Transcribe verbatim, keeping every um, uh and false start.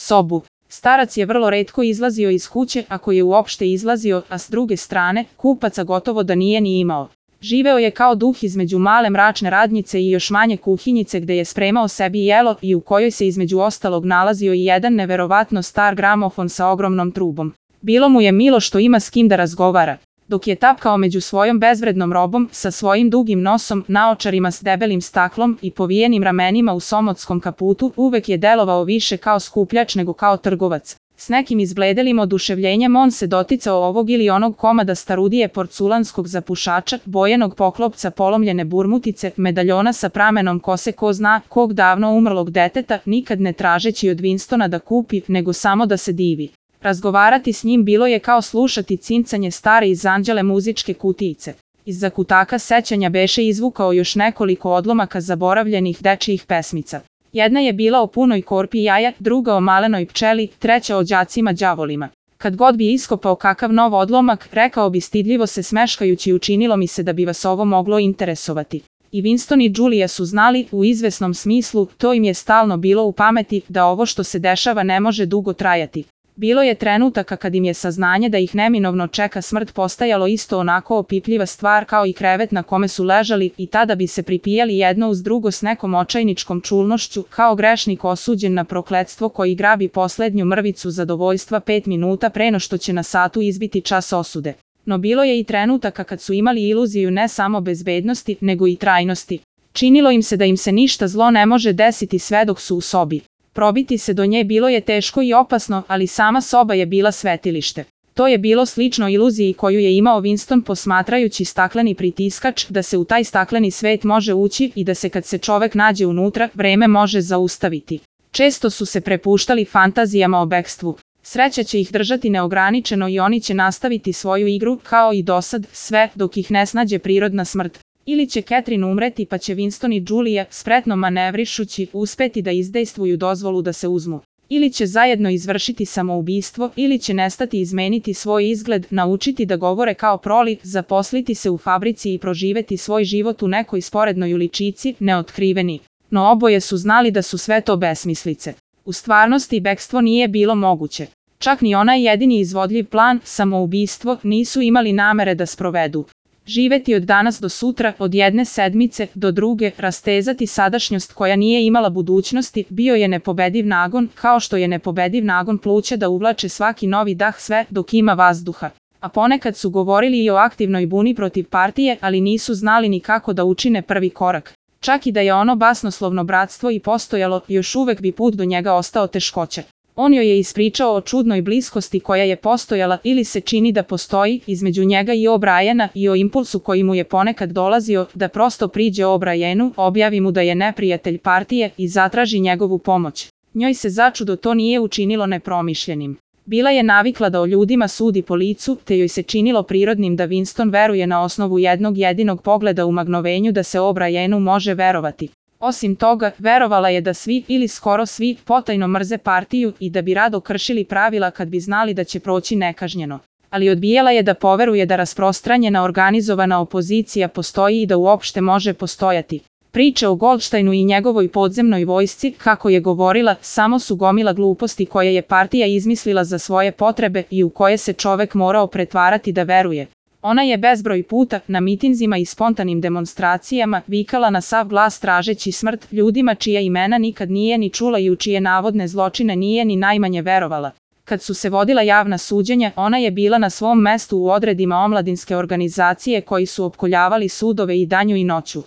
sobu. Starac je vrlo retko izlazio iz kuće, ako je uopšte izlazio, a s druge strane, kupaca gotovo da nije ni imao. Živeo je kao duh između male mračne radnjice i još manje kuhinjice gde je spremao sebi jelo i u kojoj se između ostalog nalazio i jedan neverovatno star gramofon sa ogromnom trubom. Bilo mu je milo što ima s kim da razgovara. Dok je tapkao među svojom bezvrednom robom, sa svojim dugim nosom, naočarima s debelim staklom i povijenim ramenima u somotskom kaputu, uvek je delovao više kao skupljač nego kao trgovac. S nekim izbledelim oduševljenjem on se doticao ovog ili onog komada starudije porculanskog zapušača, bojenog poklopca polomljene burmutice, medaljona sa pramenom kose ko zna kog davno umrlog deteta, nikad ne tražeći od Winstona da kupi, nego samo da se divi. Razgovarati s njim bilo je kao slušati cincanje stare iz anđele muzičke kutijice. Iz zakutaka sećanja beše izvukao još nekoliko odlomaka zaboravljenih dečijih pesmica. Jedna je bila o punoj korpi jaja, druga o malenoj pčeli, treća o đacima đavolima. Kad god bi iskopao kakav nov odlomak, rekao bi stidljivo se smeškajući, učinilo mi se da bi vas ovo moglo interesovati. I Winston i Julia su znali, u izvesnom smislu, to im je stalno bilo u pameti, da ovo što se dešava ne može dugo trajati. Bilo je trenutaka kad im je saznanje da ih neminovno čeka smrt postajalo isto onako opipljiva stvar kao i krevet na kome su ležali i tada bi se pripijali jedno uz drugo s nekom očajničkom čulnošću, kao grešnik osuđen na prokletstvo koji grabi poslednju mrvicu zadovoljstva pet minuta pre no što će na satu izbiti čas osude. No bilo je i trenutaka kad su imali iluziju ne samo bezbednosti, nego i trajnosti. Činilo im se da im se ništa zlo ne može desiti sve dok su u sobi. Probiti se do nje bilo je teško i opasno, ali sama soba je bila svetilište. To je bilo slično iluziji koju je imao Winston posmatrajući stakleni pritiskač, da se u taj stakleni svet može ući i da se kad se čovek nađe unutra, vreme može zaustaviti. Često su se prepuštali fantazijama o bekstvu. Sreća će ih držati neograničeno i oni će nastaviti svoju igru, kao i dosad, sve dok ih ne snađe prirodna smrt. Ili će Catherine umreti pa će Winston i Julia, spretno manevrišući, uspeti da izdejstvuju dozvolu da se uzmu. Ili će zajedno izvršiti samoubistvo, ili će nestati izmeniti svoj izgled, naučiti da govore kao proli, zaposliti se u fabrici i proživeti svoj život u nekoj sporednoj uličici, neotkriveni. No oboje su znali da su sve to besmislice. U stvarnosti bekstvo nije bilo moguće. Čak ni onaj jedini izvodljiv plan, samoubistvo, nisu imali namere da sprovedu. Živeti od danas do sutra, od jedne sedmice do druge, rastezati sadašnjost koja nije imala budućnosti, bio je nepobediv nagon, kao što je nepobediv nagon pluća da uvlače svaki novi dah sve dok ima vazduha. A ponekad su govorili i o aktivnoj buni protiv partije, ali nisu znali ni kako da učine prvi korak. Čak i da je ono basnoslovno bratstvo i postojalo, još uvek bi put do njega ostao teškoće. On joj je ispričao o čudnoj bliskosti koja je postojala ili se čini da postoji između njega i O'Briena i o impulsu koji mu je ponekad dolazio da prosto priđe O'Brienu, objavi mu da je neprijatelj partije i zatraži njegovu pomoć. Njoj se začudo to nije učinilo nepromišljenim. Bila je navikla da o ljudima sudi po licu, te joj se činilo prirodnim da Winston veruje na osnovu jednog jedinog pogleda u magnovenju da se O'Brienu može verovati. Osim toga, verovala je da svi, ili skoro svi, potajno mrze partiju i da bi rado kršili pravila kad bi znali da će proći nekažnjeno. Ali odbijala je da poveruje da rasprostranjena organizovana opozicija postoji i da uopšte može postojati. Priče o Goldsteinu i njegovoj podzemnoj vojsci, kako je govorila, samo su gomila gluposti koje je partija izmislila za svoje potrebe i u koje se čovek morao pretvarati da veruje. Ona je bezbroj puta, na mitinzima i spontanim demonstracijama, vikala na sav glas tražeći smrt ljudima čija imena nikad nije ni čula i u čije navodne zločine nije ni najmanje verovala. Kad su se vodila javna suđenja, ona je bila na svom mestu u odredima omladinske organizacije koji su opkoljavali sudove i danju i noću.